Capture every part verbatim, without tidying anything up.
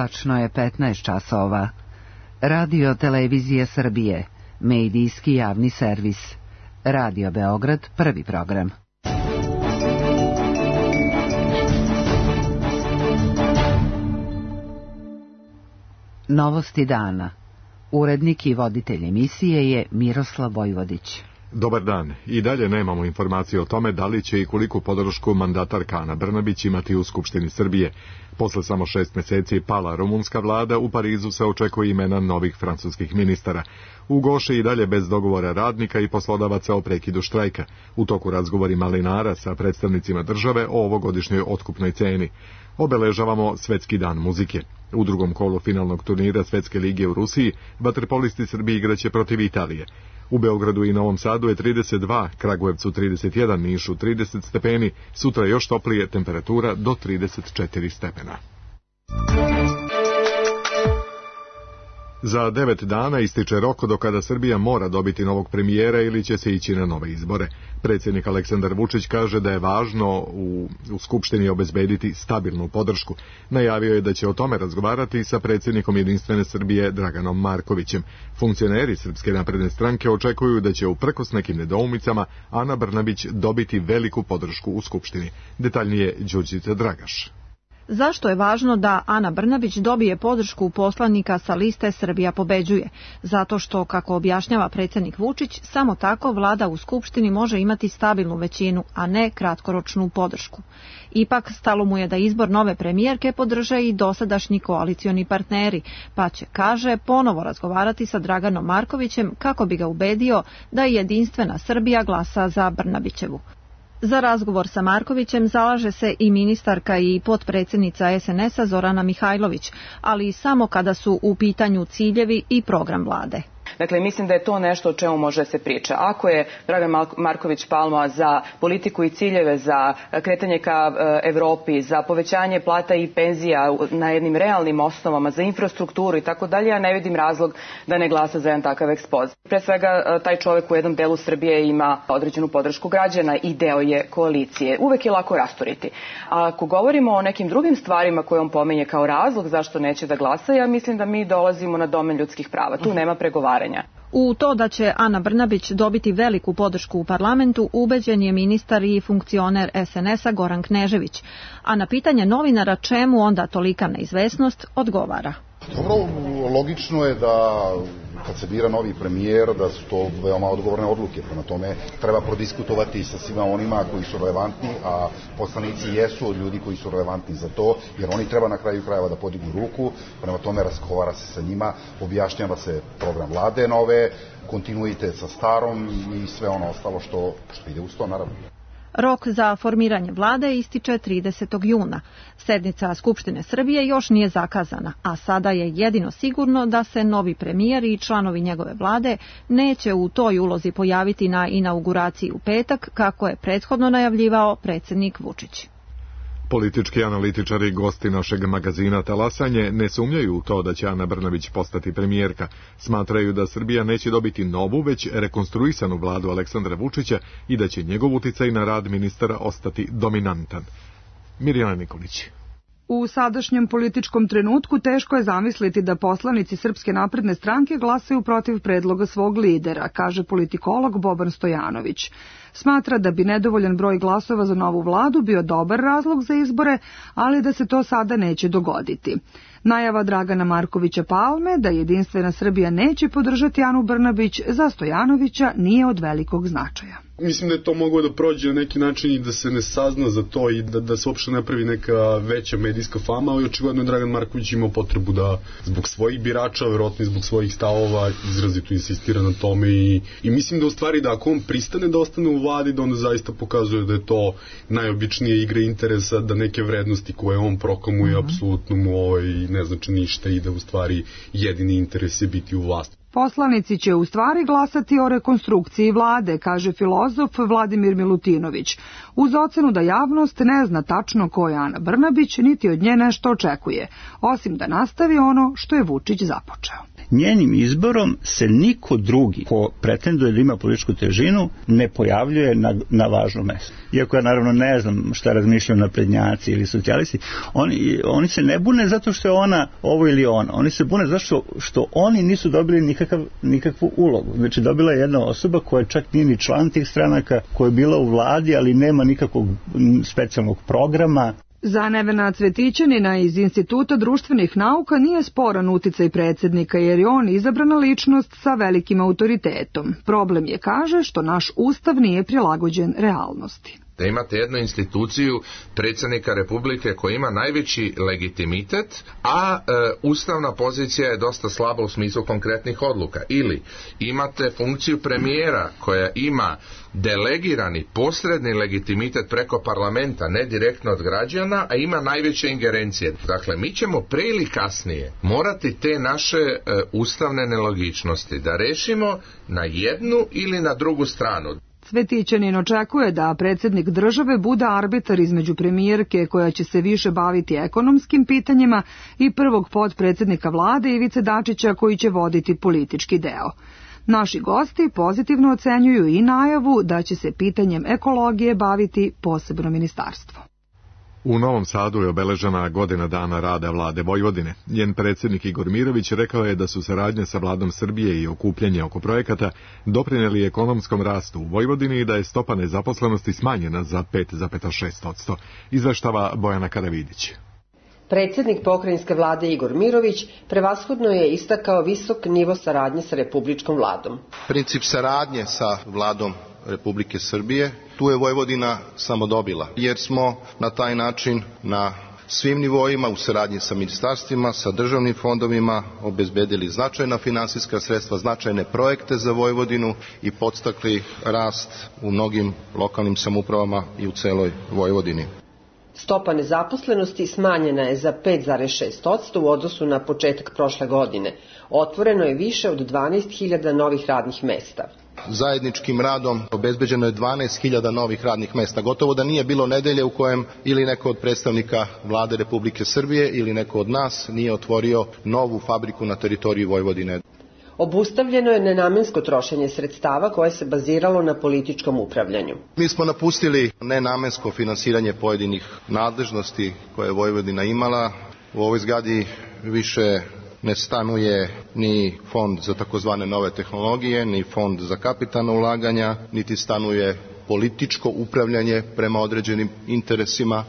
Tačno je petnaest časova. Radio Televizije Srbije, medijski javni servis. Radio Beograd, prvi program. Novosti dana. Urednik i voditelj emisije je Miroslav Vojvodić. Dobar dan. I dalje nemamo informacije o tome da li će i koliku podršku mandatarka Ana Brnabić imati u Skupštini Srbije. Posle samo šest meseci pala rumunska vlada, u Parizu se očekuje imena novih francuskih ministara. U Goši i dalje bez dogovora radnika i poslodavaca o prekidu štrajka. U toku razgovori malinara sa predstavnicima države o ovogodišnjoj otkupnoj ceni. Obeležavamo Svetski dan muzike. U drugom kolu finalnog turnira Svetske lige u Rusiji vaterpolisti Srbije igraće protiv Italije. U Beogradu i Novom Sadu je trideset dva, Kragujevcu trideset jedan, Nišu trideset stepeni, sutra još toplije, temperatura do trideset četiri stepena. Za devet dana ističe rok do kada Srbija mora dobiti novog premijera ili će se ići na nove izbore. Predsjednik Aleksandar Vučić kaže da je važno u, u Skupštini obezbediti stabilnu podršku. Najavio je da će o tome razgovarati sa predsjednikom Jedinstvene Srbije Draganom Markovićem. Funkcioneri Srpske napredne stranke očekuju da će uprkos nekim nedoumicama Ana Brnabić dobiti veliku podršku u Skupštini. Detaljnije Đurđica Dragaš. Zašto je važno da Ana Brnabić dobije podršku poslanika sa liste Srbija pobeđuje? Zato što, kako objašnjava predsjednik Vučić, samo tako vlada u Skupštini može imati stabilnu većinu, a ne kratkoročnu podršku. Ipak, stalo mu je da izbor nove premijerke podrže i dosadašnji koalicioni partneri, pa će, kaže, ponovo razgovarati sa Draganom Markovićem kako bi ga ubedio da Jedinstvena Srbija glasa za Brnabićevu. Za razgovor sa Markovićem zalaže se i ministarka i potpredsjednica es en es a Zorana Mihajlović, ali i samo kada su u pitanju ciljevi i program vlade. Dakle, mislim da je to nešto o čemu može se priča. Ako je Dragan Marković Palma za politiku i ciljeve, za kretanje ka Evropi, za povećanje plata i penzija na jednim realnim osnovama, za infrastrukturu i tako dalje, ja ne vidim razlog da ne glasa za jedan takav ekspoz. Pre svega, taj čovjek u jednom delu Srbije ima određenu podršku građana i deo je koalicije. Uvek je lako rasturiti. A ako govorimo o nekim drugim stvarima koje on pomenje kao razlog zašto neće da glasa, ja mislim da mi dolazimo na domen ljudskih prava. Tu nema pregovaranja. U to da će Ana Brnabić dobiti veliku podršku u parlamentu ubeđen je ministar i funkcioner es en es a Goran Knežević, a na pitanje novinara čemu onda tolika neizvesnost odgovara. Dobro, logično je da kad se bira novi premijer, da su to veoma odgovorne odluke. Prema tome treba prodiskutovati sa svima onima koji su relevantni, a poslanici jesu od ljudi koji su relevantni za to, jer oni treba na kraju krajeva da podignu ruku. Prema tome razgovara se sa njima, objašnjava se program vlade nove, kontinuitet sa starom i sve ono ostalo što, što ide uz to, naravno. Rok za formiranje vlade ističe tridesetog juna. Sednica Skupštine Srbije još nije zakazana, a sada je jedino sigurno da se novi premijer i članovi njegove vlade neće u toj ulozi pojaviti na inauguraciji u petak, kako je prethodno najavljivao predsjednik Vučić. Politički analitičari i gosti našeg magazina Talasanje ne sumnjaju u to da će Ana Brnabić postati premijerka. Smatraju da Srbija neće dobiti novu, već rekonstruisanu vladu Aleksandra Vučića i da će njegov uticaj na rad ministara ostati dominantan. Mirjana Nikolić. U sadašnjem političkom trenutku teško je zamisliti da poslanici Srpske napredne stranke glasaju protiv predloga svog lidera, kaže politikolog Boban Stojanović. Smatra da bi nedovoljan broj glasova za novu vladu bio dobar razlog za izbore, ali da se to sada neće dogoditi. Najava Dragana Markovića Palme da Jedinstvena Srbija neće podržati Anu Brnabić za Stojanovića nije od velikog značaja. Mislim da je to moglo da prođe na neki način i da se ne sazna za to i da, da se uopšte napravi neka veća medijska fama, ali očigledno je Dragan Marković imao potrebu da zbog svojih birača, verovatno i zbog svojih stavova, izrazito insistira na tome i, i mislim da u stvari da ako on pristane da ostane u vladi, da onda zaista pokazuje da je to najobičnija igra interesa, da neke vrednosti koje on proklamuje mm-hmm. apsolutno mu ovaj, ne znači ništa i da u stvari jedini interes je biti u vlasti. Poslanici će u stvari glasati o rekonstrukciji vlade, kaže filozof Vladimir Milutinović, uz ocenu da javnost ne zna tačno ko je Ana Brnabić, niti od nje nešto očekuje, osim da nastavi ono što je Vučić započeo. njenim izborom se niko drugi ko pretenduje da ima političku težinu ne pojavljuje na, na važno mesto. Iako ja naravno ne znam šta razmišljaju naprednjaci ili socijalisti, oni, oni se ne bune zato što je ona ovo ili ona. Oni se bune zato što, što oni nisu dobili nikakav, nikakvu ulogu. Znači dobila je jedna osoba koja čak nije ni član tih stranaka, koja je bila u vladi, ali nema nikakvog specijalnog programa. Za Nevena Cvetićanina iz Instituta društvenih nauka nije sporan uticaj predsjednika jer je on izabrana ličnost sa velikim autoritetom. Problem je, kaže, što naš ustav nije prilagođen realnosti. Da imate jednu instituciju predsjednika Republike koji ima najveći legitimitet, a e, ustavna pozicija je dosta slaba u smislu konkretnih odluka. Ili imate funkciju premijera koja ima delegirani posredni legitimitet preko parlamenta, ne direktno od građana, a ima najveće ingerencije. Dakle, mi ćemo pre ili kasnije morati te naše e, ustavne nelogičnosti da rešimo na jednu ili na drugu stranu. Cvetićanin očekuje da predsjednik države bude arbitar između premijerke koja će se više baviti ekonomskim pitanjima i prvog potpredsjednika vlade Ivice Dačića koji će voditi politički deo. Naši gosti pozitivno ocenjuju i najavu da će se pitanjem ekologije baviti posebno ministarstvo. U Novom Sadu je obeležena godina dana rada vlade Vojvodine. Njen predsjednik Igor Mirović rekao je da su saradnje sa vladom Srbije i okupljanje oko projekata doprinijeli ekonomskom rastu u Vojvodini i da je stopa nezaposlenosti smanjena za pet zarez šest posto. Izveštava Bojana Karavidić. Predsjednik pokrajinske vlade Igor Mirović prevashodno je istakao visok nivo saradnje sa republičkom vladom. Princip saradnje sa vladom Republike Srbije, tu je Vojvodina samo dobila, jer smo na taj način na svim nivoima u saradnji sa ministarstvima, sa državnim fondovima obezbedili značajna finansijska sredstva, značajne projekte za Vojvodinu i podstakli rast u mnogim lokalnim samoupravama i u celoj Vojvodini. Stopa nezaposlenosti smanjena je za pet zarez šest posto u odnosu na početak prošle godine. Otvoreno je više od dvanaest hiljada novih radnih mesta. Zajedničkim radom obezbeđeno je dvanaest hiljada novih radnih mesta. Gotovo da nije bilo nedelje u kojem ili neko od predstavnika vlade Republike Srbije ili neko od nas nije otvorio novu fabriku na teritoriji Vojvodine. Obustavljeno je nenamensko trošenje sredstava koje se baziralo na političkom upravljanju. Mi smo napustili nenamensko finansiranje pojedinih nadležnosti koje je Vojvodina imala. U ovoj zgradi više ne stanuje ni fond za takozvane nove tehnologije, ni fond za kapitalna ulaganja, niti stanuje političko upravljanje prema određenim interesima.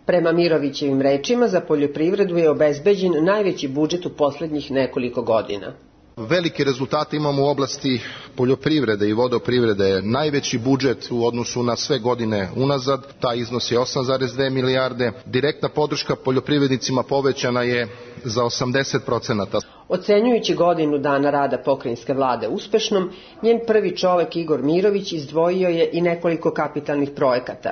Prema Mirovićevim rečima, za poljoprivredu je obezbeđen najveći budžet u posljednjih nekoliko godina. Velike rezultate imamo u oblasti poljoprivrede i vodoprivrede. Najveći budžet u odnosu na sve godine unazad, taj iznos je osam zarez dve milijarde. Direktna podrška poljoprivrednicima povećana je za osamdeset procenata. Ocenjujući godinu dana rada pokrajinske vlade uspešnom, njen prvi čovek Igor Mirović izdvojio je i nekoliko kapitalnih projekata.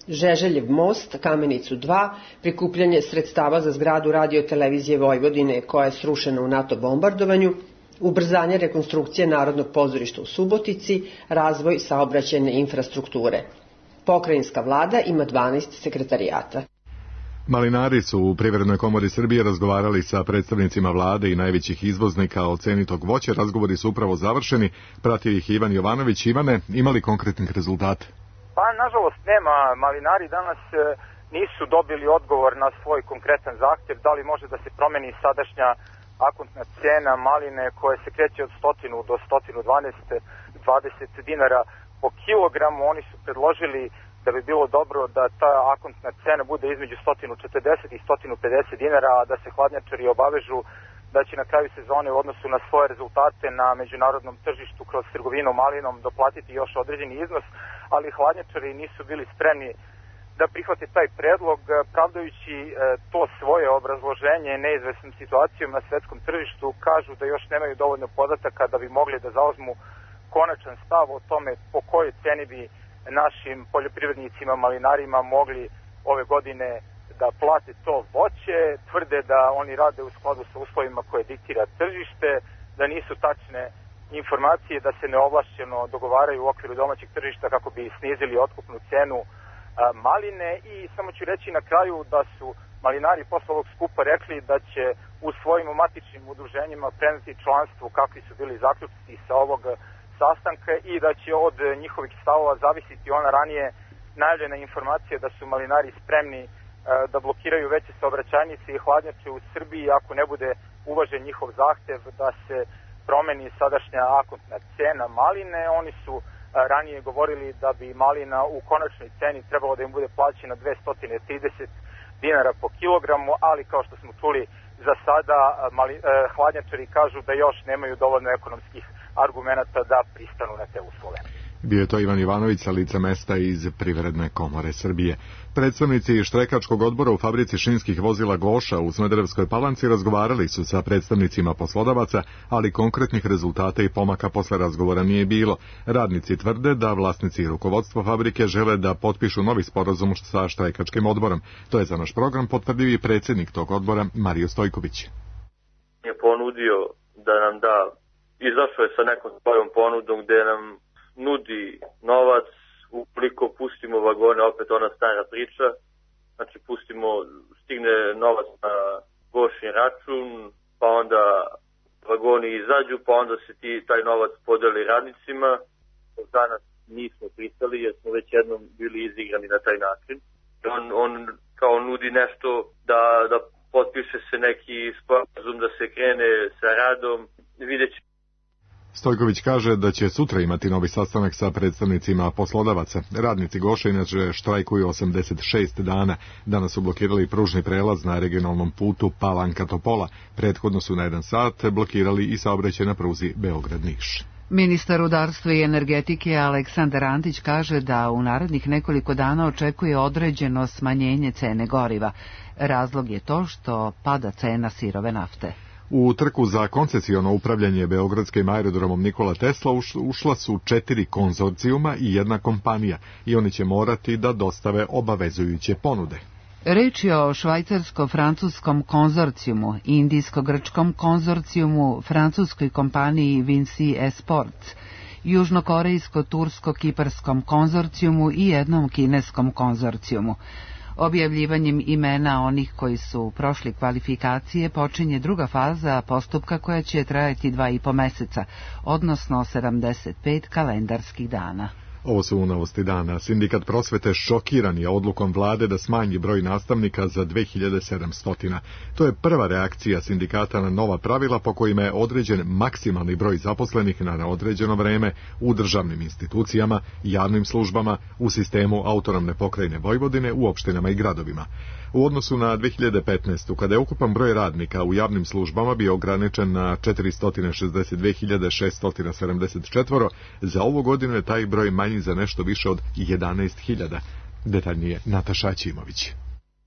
Žeželjev most, Kamenicu dva, prikupljanje sredstava za zgradu radio-televizije Vojvodine koja je srušena u NATO bombardovanju, ubrzanje rekonstrukcije Narodnog pozorišta u Subotici, razvoj saobraćajne infrastrukture. Pokrajinska vlada ima dvanaest sekretarijata. Malinari su u Privrednoj komori Srbije razgovarali sa predstavnicima vlade i najvećih izvoznika o ceni tog voća. Razgovori su upravo završeni. Pratio ih Ivan Jovanović. Ivane, imali konkretnih rezultata? Pa, nažalost, nema. Malinari danas nisu dobili odgovor na svoj konkretan zahtjev. Da li može da se promeni sadašnja akontna cena maline koja se kreće od sto do sto dvadeset dinara po kilogramu. Oni su predložili da bi bilo dobro da ta akontna cena bude između sto četrdeset i sto pedeset dinara, a da se hladnjačari obavežu da će na kraju sezone u odnosu na svoje rezultate na međunarodnom tržištu kroz trgovinu malinom doplatiti još određeni iznos, ali hladnjačari nisu bili spremni da prihvate taj predlog, pravdajući to svoje obrazloženje neizvesnom situacijom na svetskom tržištu. Kažu da još nemaju dovoljno podataka da bi mogli da zauzmu konačan stav o tome po kojoj ceni bi našim poljoprivrednicima, malinarima mogli ove godine da plate to voće. Tvrde da oni rade u skladu sa uslovima koje diktira tržište, da nisu tačne informacije, da se neovlašćeno dogovaraju u okviru domaćeg tržišta kako bi snizili otkupnu cenu maline. I samo ću reći na kraju da su malinari posle ovog skupa rekli da će u svojim matičnim udruženjima preneti članstvu kakvi su bili zaključci sa ovog sastanka i da će od njihovih stavova zavisiti ona ranije najavljena informacija da su malinari spremni da blokiraju veće saobraćajnice i hladnjače u Srbiji ako ne bude uvažen njihov zahtev da se promeni sadašnja akontna cena maline. Oni su ranije govorili da bi malina u konačnoj ceni trebalo da im bude plaćena dvesta trideset dinara po kilogramu, ali kao što smo čuli za sada mali, eh, hladnjačari kažu da još nemaju dovoljno ekonomskih argumenata da pristanu na te uslove. Bio je to Ivan Ivanović sa lica mesta iz Privredne komore Srbije. Predstavnici štrajkačkog odbora u fabrici šinskih vozila Goša u Smederevskoj Palanci razgovarali su sa predstavnicima poslodavaca, ali konkretnih rezultata i pomaka posle razgovora nije bilo. Radnici tvrde da vlasnici i rukovodstvo fabrike žele da potpišu novi sporazum sa štrajkačkim odborom. To je za naš program potvrdio i predsjednik tog odbora Mario Stojković. Je ponudio da nam da, izašao je sa nekom svojom ponudom gde nam nudi novac, ukoliko pustimo vagone, opet ona stara priča, znači pustimo, stigne novac na Gošin račun, pa onda vagoni izađu, pa onda se ti, taj novac podeli radnicima. Danas nismo pristali jer smo već jednom bili izigrani na taj način. On, on kao nudi nešto da, da potpiše se neki sporazum, da se krene sa radom, vidjet će. Stojković kaže da će sutra imati novi sastanak sa predstavnicima poslodavaca. Radnici Goša inače štrajkuju osamdeset šest dana. Danas su blokirali pružni prelaz na regionalnom putu Palanka-Topola. Prethodno su na jedan sat blokirali i saobraćaj na pruzi Beograd-Niš. Ministar rudarstva i energetike Aleksandar Antić kaže da u narednih nekoliko dana očekuje određeno smanjenje cene goriva. Razlog je to što pada cena sirove nafte. U trku za koncesiono upravljanje beogradskim aerodromom Nikola Tesla ušla su četiri konzorcijuma i jedna kompanija i oni će morati da dostave obavezujuće ponude. Reč je o švajcarsko-francuskom konzorcijumu, indijsko-grčkom konzorcijumu, francuskoj kompaniji Vinci Esports, južnokorejsko-tursko-kiparskom konzorcijumu i jednom kineskom konzorcijumu. Objavljivanjem imena onih koji su prošli kvalifikacije počinje druga faza postupka koja će trajati dva i po meseca, odnosno sedamdeset pet kalendarskih dana. Ovo su novosti dana. Sindikat prosvete šokiran je odlukom vlade da smanji broj nastavnika za dve hiljade sedamsto. To je prva reakcija sindikata na nova pravila po kojima je određen maksimalni broj zaposlenih na neodređeno vreme u državnim institucijama, javnim službama, u sistemu autonomne pokrajine Vojvodine, u opštinama i gradovima. U odnosu na dve hiljade petnaestu. kada je ukupan broj radnika u javnim službama bio ograničen na četiristo šezdeset dve hiljade šeststo sedamdeset četiri, za ovu godinu je taj broj manji za nešto više od jedanaest hiljada. Detaljnije Nataša Ćimović.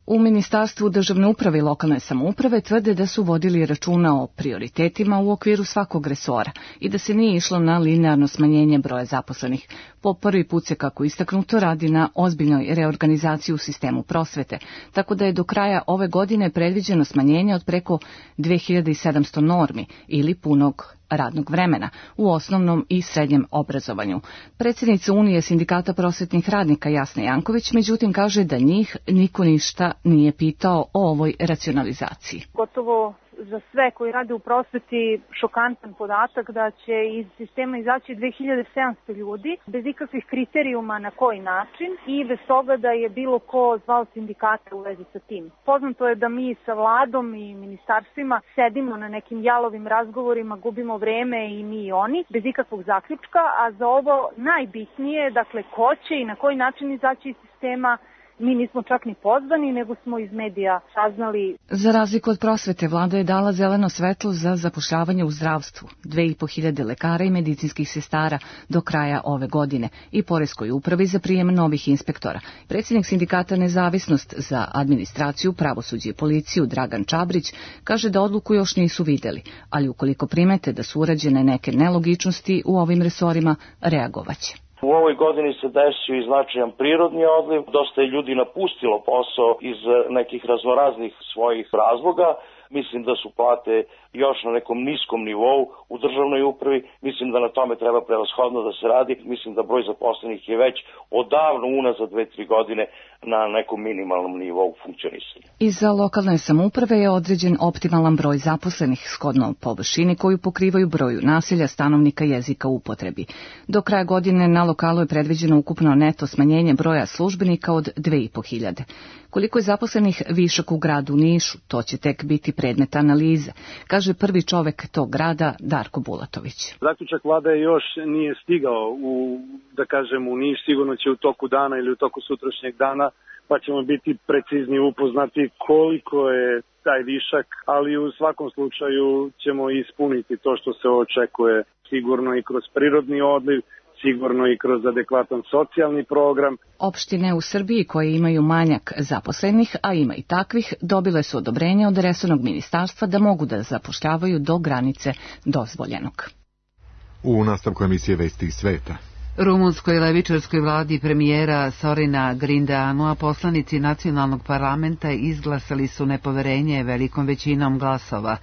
U Ministarstvu državne uprave i lokalne samouprave tvrde da su vodili računa o prioritetima u okviru svakog resora i da se nije išlo na linearno smanjenje broja zaposlenih. Po prvi put se, kako istaknuto, radi na ozbiljnoj reorganizaciji u sistemu prosvete, tako da je do kraja ove godine predviđeno smanjenje od preko dve hiljade sedamsto normi ili punog radnog vremena u osnovnom i srednjem obrazovanju. Predsjednica Unije sindikata prosvetnih radnika Jasna Janković, međutim, kaže da njih niko ništa nije pitao o ovoj racionalizaciji. Gotovo za sve koji rade u prosveti šokantan podatak da će iz sistema izaći dve hiljade sedamsto ljudi bez ikakvih kriterijuma na koji način i bez toga da je bilo ko zvao sindikate u vezi sa tim. Poznato je da mi sa vladom i ministarstvima sedimo na nekim jalovim razgovorima, gubimo vreme i mi i oni bez ikakvog zaključka, a za ovo najbitnije, dakle ko će i na koji način izaći iz sistema, mi nismo čak ni pozvani, nego smo iz medija saznali. Za razliku od prosvete, vlada je dala zeleno svetlo za zapošljavanje u zdravstvu, dve i po hiljade lekara i medicinskih sestara do kraja ove godine i poreskoj upravi za prijem novih inspektora. Predsjednik sindikata Nezavisnost za administraciju, pravosuđe i policiju Dragan Čabrić kaže da odluku još nisu videli, ali ukoliko primete da su urađene neke nelogičnosti u ovim resorima, reagovaće. U ovoj godini se desio i značajan prirodni odliv, dosta je ljudi napustilo posao iz nekih raznoraznih svojih razloga, Mislim da su plate još na nekom niskom nivou u državnoj upravi. Mislim da na tome treba prevashodno da se radi. Mislim da broj zaposlenih je već odavno unazad dve, tri godine na nekom minimalnom nivou funkcionisanja. I za lokalne samouprave je određen optimalan broj zaposlenih shodno površini koju pokrivaju broju naselja, stanovnika, jezika u upotrebi. Do kraja godine na lokalu je predviđeno ukupno neto smanjenje broja službenika od dve i po hiljade. Koliko je zaposlenih višak u gradu Nišu, to će tek biti predmet analize, kaže prvi čovek tog grada Darko Bulatović. Zaključak vlade još nije stigao u, da kažem, u Niš, sigurno će u toku dana ili u toku sutrašnjeg dana, pa ćemo biti precizni upoznati koliko je taj višak, ali u svakom slučaju ćemo ispuniti to što se očekuje, sigurno i kroz prirodni odliv, sigurno i kroz adekvatan socijalni program. Opštine u Srbiji koje imaju manjak zaposlenih, a ima i takvih, dobile su odobrenje od resornog ministarstva da mogu da zapošljavaju do granice dozvoljenog. U nastavku emisije Vesti iz sveta. Rumunskoj levičarskoj vladi premijera Sorina Grindeanua poslanici nacionalnog parlamenta izglasali su nepoverenje velikom većinom glasova.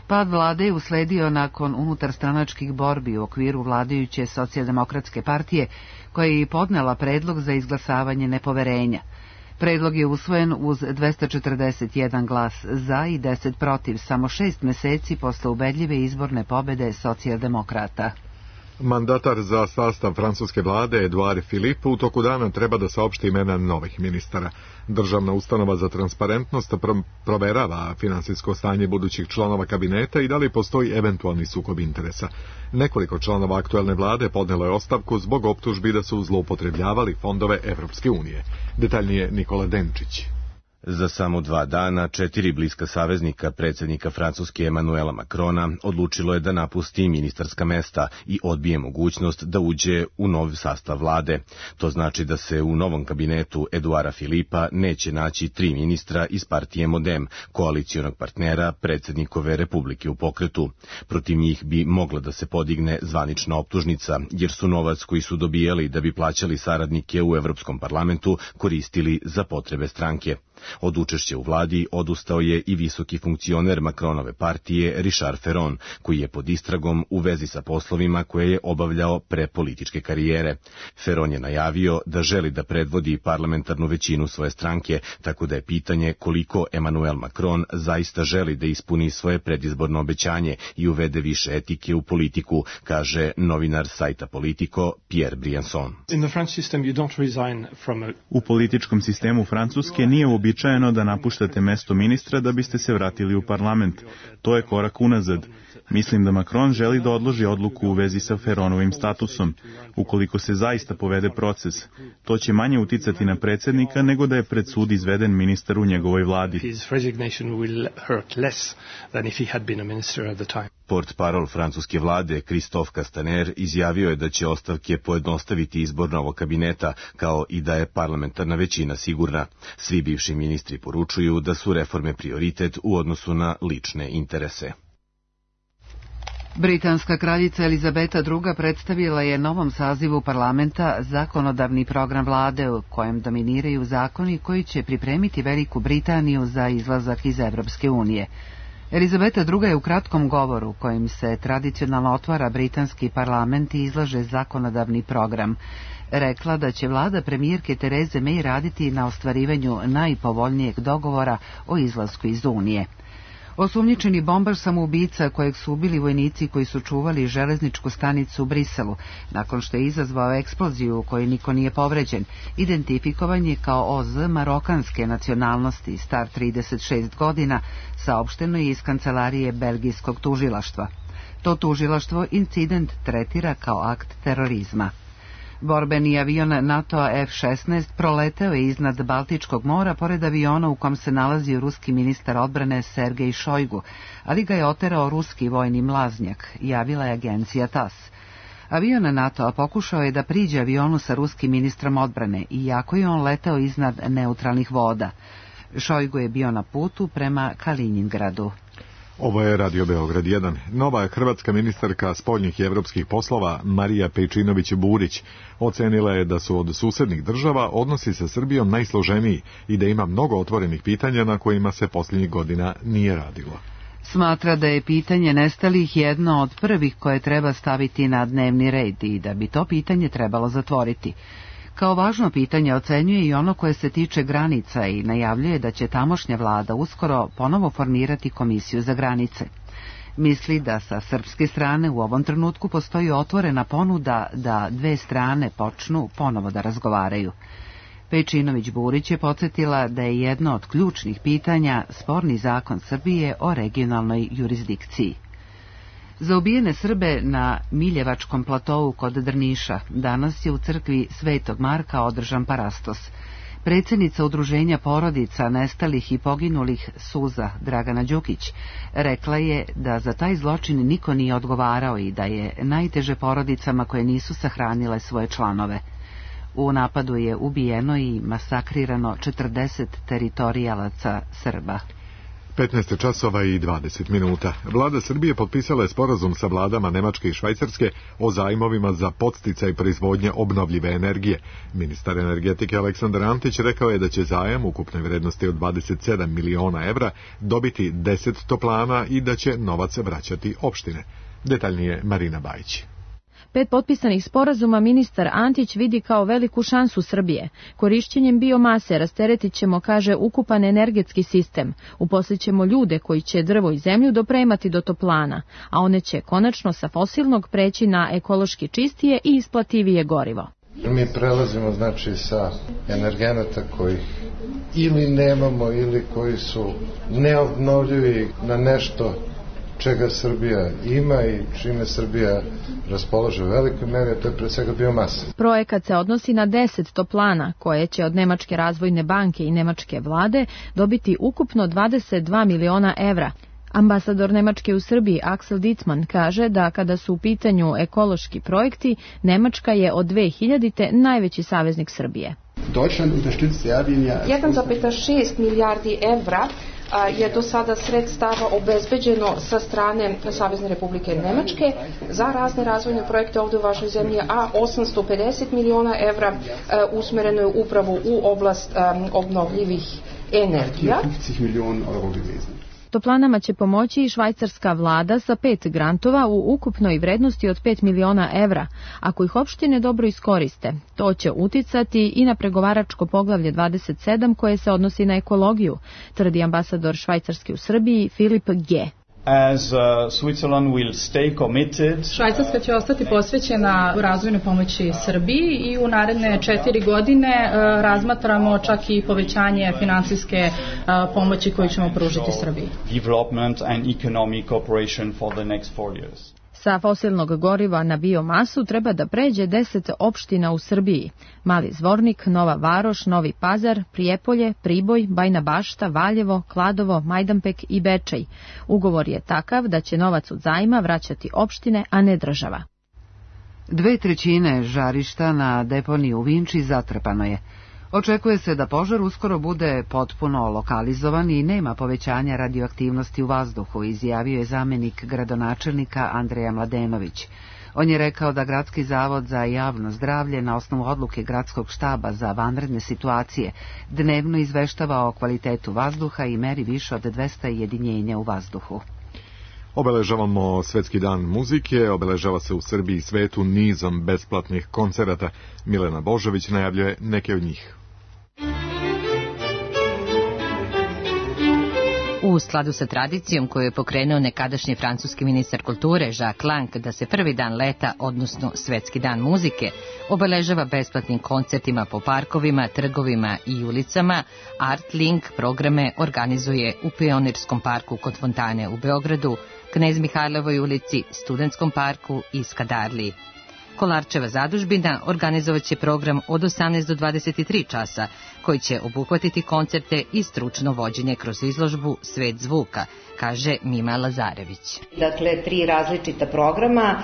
Pad vlade je usledio nakon unutarstranačkih borbi u okviru vladajuće socijaldemokratske partije, koja je i podnela predlog za izglasavanje nepoverenja. Predlog je usvojen uz dvesta četrdeset jedan glas za i deset protiv, samo šest meseci posle ubedljive izborne pobede socijaldemokrata. Mandatar za sastav francuske vlade Edouard Philippe u toku dana treba da saopšti imena novih ministara. Državna ustanova za transparentnost proverava finansijsko stanje budućih članova kabineta i da li postoji eventualni sukob interesa. Nekoliko članova aktuelne vlade podnelo je ostavku zbog optužbi da su zloupotrebljavali fondove Evropske unije. Detaljnije Nikola Denčić. Za samo dva dana četiri bliska saveznika predsjednika Francuske Emanuela Macrona odlučilo je da napusti ministarska mesta i odbije mogućnost da uđe u nov sastav vlade. To znači da se u novom kabinetu Edouarda Philippa neće naći tri ministra iz partije Modem, koalicijonog partnera predsjednikove Republike u pokretu. Protiv njih bi mogla da se podigne zvanična optužnica, jer su novac koji su dobijali da bi plaćali saradnike u Evropskom parlamentu koristili za potrebe stranke. Od učešća u vladi odustao je i visoki funkcioner Macronove partije Richard Ferron, koji je pod istragom u vezi sa poslovima koje je obavljao pre političke karijere. Ferron je najavio da želi da predvodi parlamentarnu većinu svoje stranke, tako da je pitanje koliko Emmanuel Macron zaista želi da ispuni svoje predizborno obećanje i uvede više etike u politiku, kaže novinar sajta Politico Pierre Briançon. U političkom sistemu Francuske nije uobičajeno da napuštate mesto ministra da biste se vratili u parlament. To je korak unazad. Mislim da Macron želi da odloži odluku u vezi sa Ferronovim statusom. Ukoliko se zaista povede proces, to će manje uticati na predsjednika nego da je pred sud izveden ministar u njegovoj vladi. Portparol francuske vlade Christophe Castaner izjavio je da će ostavke pojednostaviti izbor novog kabineta, kao i da je parlamentarna većina sigurna. Svi bivši ministri poručuju da su reforme prioritet u odnosu na lične interese. Britanska kraljica Elizabeta druga predstavila je novom sazivu parlamenta zakonodavni program vlade u kojem dominiraju zakoni koji će pripremiti Veliku Britaniju za izlazak iz Evropske unije. Elizabeta druga je u kratkom govoru kojim se tradicionalno otvara britanski parlament i izlaže zakonodavni program rekla da će vlada premijerke Tereze May raditi na ostvarivanju najpovoljnijeg dogovora o izlasku iz Unije. Osumnjičeni bombar samoubica kojeg su ubili vojnici koji su čuvali železničku stanicu u Briselu, nakon što je izazvao eksploziju u kojoj niko nije povređen, identifikovan je kao O Z marokanske nacionalnosti, star trideset šest godina, saopšteno je iz kancelarije belgijskog tužilaštva. To tužilaštvo incident tretira kao akt terorizma. Borbeni avion NATO F šesnaest proleteo je iznad Baltičkog mora pored aviona u kom se nalazio ruski ministar odbrane Sergej Šojgu, ali ga je oterao ruski vojni mlaznjak, javila je agencija TAS. Avion NATO-a pokušao je da priđe avionu sa ruskim ministrom odbrane, iako je on leteo iznad neutralnih voda. Šojgu je bio na putu prema Kaliningradu. Ovo je Radio Beograd jedan. Nova hrvatska ministarka spoljnih i evropskih poslova Marija Pejčinović-Burić ocenila je da su od susednih država odnosi sa Srbijom najsloženiji i da ima mnogo otvorenih pitanja na kojima se posljednjih godina nije radilo. Smatra da je pitanje nestalih jedno od prvih koje treba staviti na dnevni red i da bi to pitanje trebalo zatvoriti. Kao važno pitanje ocenjuje i ono koje se tiče granica i najavljuje da će tamošnja vlada uskoro ponovo formirati komisiju za granice. Misli da sa srpske strane u ovom trenutku postoji otvorena ponuda da dve strane počnu ponovo da razgovaraju. Pejčinović-Burić je podsjetila da je jedno od ključnih pitanja sporni zakon Srbije o regionalnoj jurisdikciji. Za ubijene Srbe na Miljevačkom platovu kod Drniša danas je u crkvi Svetog Marka održan parastos. Predsjednica udruženja porodica nestalih i poginulih Suza Dragana Đukić rekla je da za taj zločin niko nije odgovarao i da je najteže porodicama koje nisu sahranile svoje članove. U napadu je ubijeno i masakrirano četrdeset teritorijalaca Srba. petnaest časova i dvadeset minuta. Vlada Srbije potpisala je sporazum sa vladama Nemačke i Švajcarske o zajmovima za podsticaj proizvodnje obnovljive energije. Ministar energetike Aleksandar Antić rekao je da će zajam ukupne vrednosti od dvadeset sedam miliona evra dobiti deset toplana i da će novac vraćati opštine. Detaljnije Marina Bajić. Pet potpisanih sporazuma ministar Antić vidi kao veliku šansu Srbije. Korišćenjem biomase rasteretit ćemo, kaže, ukupan energetski sistem. Uposlićemo ljude koji će drvo i zemlju dopremati do toplana, a one će konačno sa fosilnog preći na ekološki čistije i isplativije gorivo. Mi prelazimo, znači, sa energenata kojih ili nemamo ili koji su neobnovljivi na nešto čega Srbija ima i čime Srbija raspolaže u velikoj meri, to je pre svega biomasa. Projekat se odnosi na deset toplana, koje će od Nemačke razvojne banke i Nemačke vlade dobiti ukupno dvadeset dva miliona evra. Ambasador Nemačke u Srbiji Axel Ditzmann kaže da kada su u pitanju ekološki projekti, Nemačka je od dve hiljadite najveći saveznik Srbije. jedan zarez šest milijardi evra je do sada sredstava obezbeđeno sa strane Savezne Republike Nemačke za razne razvojne projekte ovdje u vašoj zemlji, a osamsto pedeset miliona evra usmereno je upravo u oblast obnovljivih energija. Toplanama će pomoći i švajcarska vlada sa pet grantova u ukupnoj vrednosti od pet miliona evra, ako ih opštine dobro iskoriste. To će uticati i na pregovaračko poglavlje dvadeset sedam koje se odnosi na ekologiju, tvrdi ambasador Švajcarske u Srbiji Filip G. As uh, Switzerland will stay committed. Švajcarska će ostati posvećena razvojnoj pomoći Srbiji i u naredne četiri godine uh, razmatramo čak i povećanje finansijske uh, pomoći koju ćemo pružiti Srbiji. Development and economic cooperation for the next four years. Sa fosilnog goriva na biomasu treba da pređe deset opština u Srbiji. Mali Zvornik, Nova Varoš, Novi Pazar, Prijepolje, Priboj, Bajna Bašta, Valjevo, Kladovo, Majdanpek i Bečej. Ugovor je takav da će novac od zajma vraćati opštine, a ne država. Dve trećine žarišta na deponiji u Vinči zatrpano je. Očekuje se da požar uskoro bude potpuno lokalizovan i nema povećanja radioaktivnosti u vazduhu, izjavio je zamenik gradonačelnika Andreja Mladenović. On je rekao da Gradski zavod za javno zdravlje na osnovu odluke Gradskog štaba za vanredne situacije dnevno izveštava o kvalitetu vazduha i meri više od dvesta jedinjenja u vazduhu. Obeležavamo Svetski dan muzike, obeležava se u Srbiji i svetu nizom besplatnih koncerata. Milena Božović najavljuje neke od njih. U skladu sa tradicijom koju je pokrenuo nekadašnji francuski ministar kulture Jacques Lang da se prvi dan leta, odnosno Svetski dan muzike, obeležava besplatnim koncertima po parkovima, trgovima i ulicama, Art Link programe organizuje u Pionirskom parku kod Fontane u Beogradu, Knez Mihajlovoj ulici, Studentskom parku i Skadarliji. Kolarčeva zadužbina organizovaće program od osamnaest do dvadeset tri časa, koji će obuhvatiti koncerte i stručno vođenje kroz izložbu Svet zvuka, kaže Mima Lazarević. Dakle, tri različita programa,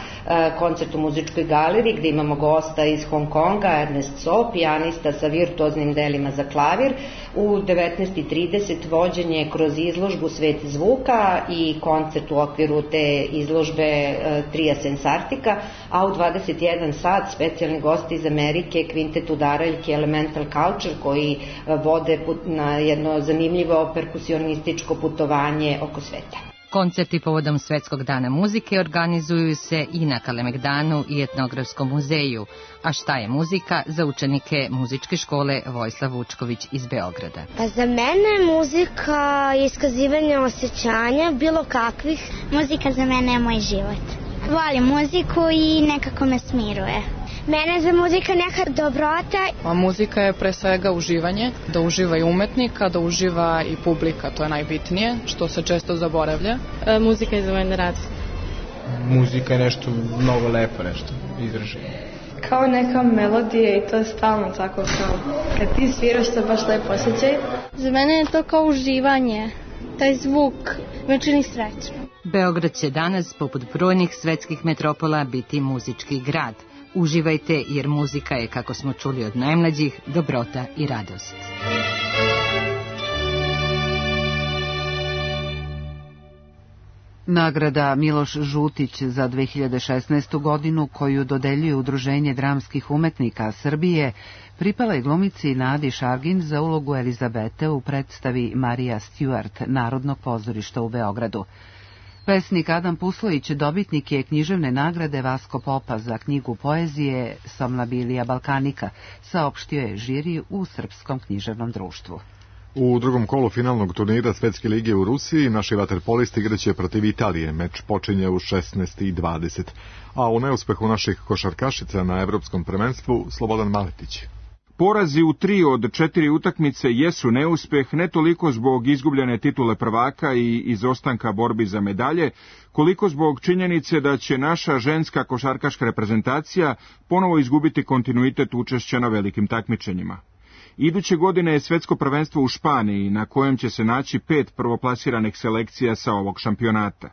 koncert u muzičkoj galeriji gdje imamo gosta iz Hong Konga, Ernest So, pijanista sa virtuoznim delima za klavir, u devetnaest i trideset vođenje kroz izložbu Svet zvuka i koncert u okviru te izložbe Tria Sensartika, a u dvadeset jedan sat specijalni gosti iz Amerike, kvintet udaraljki Elemental Culture, koji vode na jedno zanimljivo perkusionističko putovanje oko sveta. Koncerti povodom Svetskog dana muzike organizuju se i na Kalemegdanu i Etnografskom muzeju. A šta je muzika za učenike muzičke škole Vojislav Vučković iz Beograda? Pa za mene muzika je iskazivanje osjećanja, bilo kakvih. Muzika za mene je moj život. Volim muziku i nekako me smiruje. Mene za muzika neka dobrota. A muzika je pre svega uživanje, da uživa i umetnika, da uživa i publika, to je najbitnije, što se često zaboravlja. E, muzika je za mene radost. Muzika je nešto mnogo lepo, nešto izraženo. Kao neka melodija i to je stalno tako kao kad ti sviraš to baš lepo osjećaj. Za mene je to kao uživanje, taj zvuk me čini srećno. Beograd će danas, poput brojnih svetskih metropola, biti muzički grad. Uživajte jer muzika je, kako smo čuli od najmlađih, dobrota i radost. Nagrada Miloš Žutić za dve hiljade šesnaestu godinu, koju dodeljuje Udruženje dramskih umetnika Srbije, pripala je glumici Nadi Šargin za ulogu Elizabete u predstavi Marija Stewart Narodnog pozorišta u Beogradu. Pesnik Adam Puslović dobitnik je književne nagrade Vasko Popa za knjigu poezije Somnabilija Balkanika, saopštio je žiri u Srpskom književnom društvu. U drugom kolu finalnog turnira Svetske lige u Rusiji naši vaterpolisti igraće protiv Italije. Meč počinje u šesnaest i dvadeset. A u neuspehu naših košarkašica na evropskom prvenstvu Slobodan Maletić. Porazi u tri od četiri utakmice jesu neuspeh, ne toliko zbog izgubljene titule prvaka i izostanka borbi za medalje, koliko zbog činjenice da će naša ženska košarkaška reprezentacija ponovo izgubiti kontinuitet učešća na velikim takmičenjima. Iduće godine je svetsko prvenstvo u Španiji, na kojem će se naći pet prvoplasiranih selekcija sa ovog šampionata.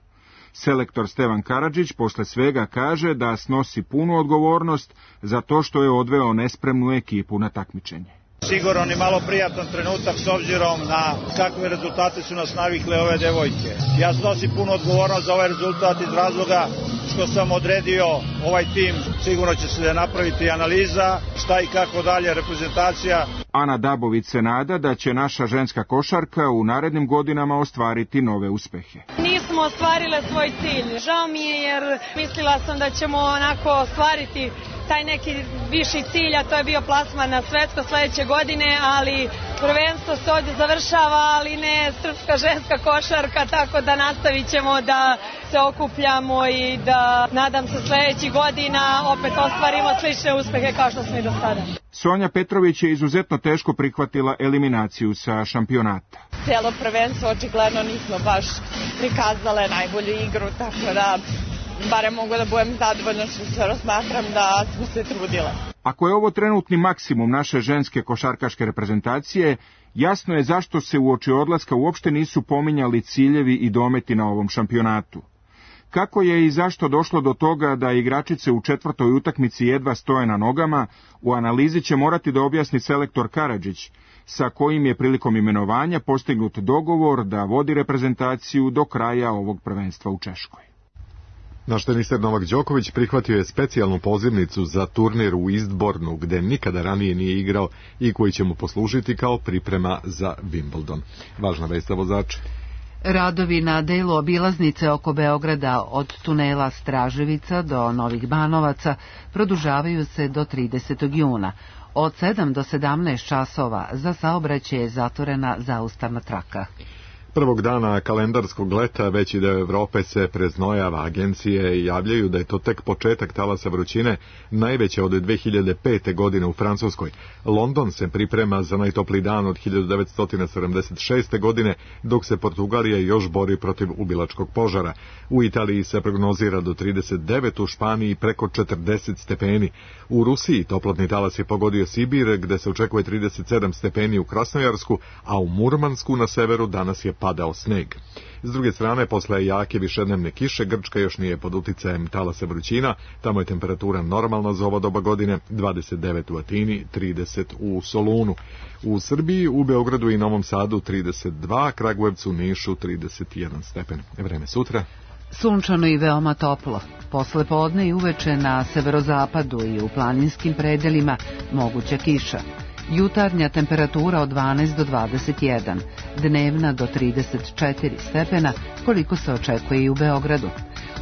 Selektor Stevan Karadžić posle svega kaže da snosi punu odgovornost za to što je odveo nespremnu ekipu na takmičenje. Sigurno ni malo prijatan trenutak s obzirom na kakve rezultate su nas navikle ove devojke. Ja snosim punu odgovornost za ovaj rezultat iz razloga što sam odredio ovaj tim. Sigurno će se napraviti analiza šta i kako dalje reprezentacija. Ana Dabović se nada da će naša ženska košarka u narednim godinama ostvariti nove uspehe. Nismo ostvarile svoj cilj. Žao mi je jer mislila sam da ćemo onako ostvariti taj neki viši cilj, a to je bio plasman na svetsko sledeće godine, ali prvenstvo se ovdje završava, ali ne srpska ženska košarka, tako da nastavit ćemo da se okupljamo i da, nadam se, sledećih godina opet ostvarimo slične uspehe kao što smo i do sada. Sonja Petrović je izuzetno teško prihvatila eliminaciju sa šampionata. Cijelo prvenstvo očigledno nismo baš prikazale najbolju igru, tako da barem mogu da budem zadovoljna što se razmatram da smo se trudile. Ako je ovo trenutni maksimum naše ženske košarkaške reprezentacije, jasno je zašto se uoči odlaska uopšte nisu pominjali ciljevi i dometi na ovom šampionatu. Kako je i zašto došlo do toga da igračice u četvrtoj utakmici jedva stoje na nogama, u analizi će morati da objasni selektor Karadžić, sa kojim je prilikom imenovanja postignut dogovor da vodi reprezentaciju do kraja ovog prvenstva u Češkoj. Naš teniser Novak Đoković prihvatio je specijalnu pozivnicu za turnir u Eastbournu, gde nikada ranije nije igrao i koji će mu poslužiti kao priprema za Wimbledon. Važna vest za vozače. Radovi na delu obilaznice oko Beograda od tunela Straževica do Novih Banovaca produžavaju se do tridesetog juna. Od sedam do sedamnaest časova za saobraćaj je zatvorena zaustavna traka. Prvog dana kalendarskog leta veći deo Evrope se preznojava. Agencije javljaju da je to tek početak talasa vrućine, najveće od dve hiljade pete. godine u Francuskoj. London se priprema za najtopliji dan od hiljadu devetsto sedamdeset šeste. godine, dok se Portugalija još bori protiv ubilačkog požara. U Italiji se prognozira do trideset devet, u Španiji preko četrdeset stepeni. U Rusiji toplotni talas je pogodio Sibir, gde se očekuje trideset sedam stepeni u Krasnojarsku, a u Murmansku na severu danas je padao sneg. S druge strane, posle jake višednevne kiše, Grčka još nije pod uticajem talasa vrućina, tamo je temperatura normalna za ovo doba godine, dvadeset devet u Atini, trideset u Solunu. U Srbiji, u Beogradu i Novom Sadu trideset dva, Kragujevcu, Nišu trideset jedan stepen. Vreme sutra. Sunčano i veoma toplo. Posle podne i uveče na severozapadu i u planinskim predelima moguća kiša. Jutarnja temperatura od dvanaest do dvadeset jedan, dnevna do trideset četiri stepena, koliko se očekuje i u Beogradu.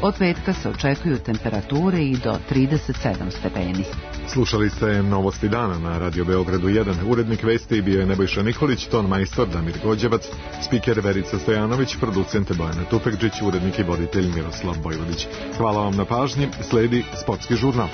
Od petka se očekuju temperature i do trideset sedam stepeni. Slušali ste Novosti dana na Radio Beogradu jedan. Urednik vesti bio je Nebojša Nikolić, ton majstor Damir Gođevac, spiker Verica Stojanović, producent Bojana Tupekđić, urednik i voditelj Miroslav Bojvodić. Hvala vam na pažnji, sledi sportski žurnal.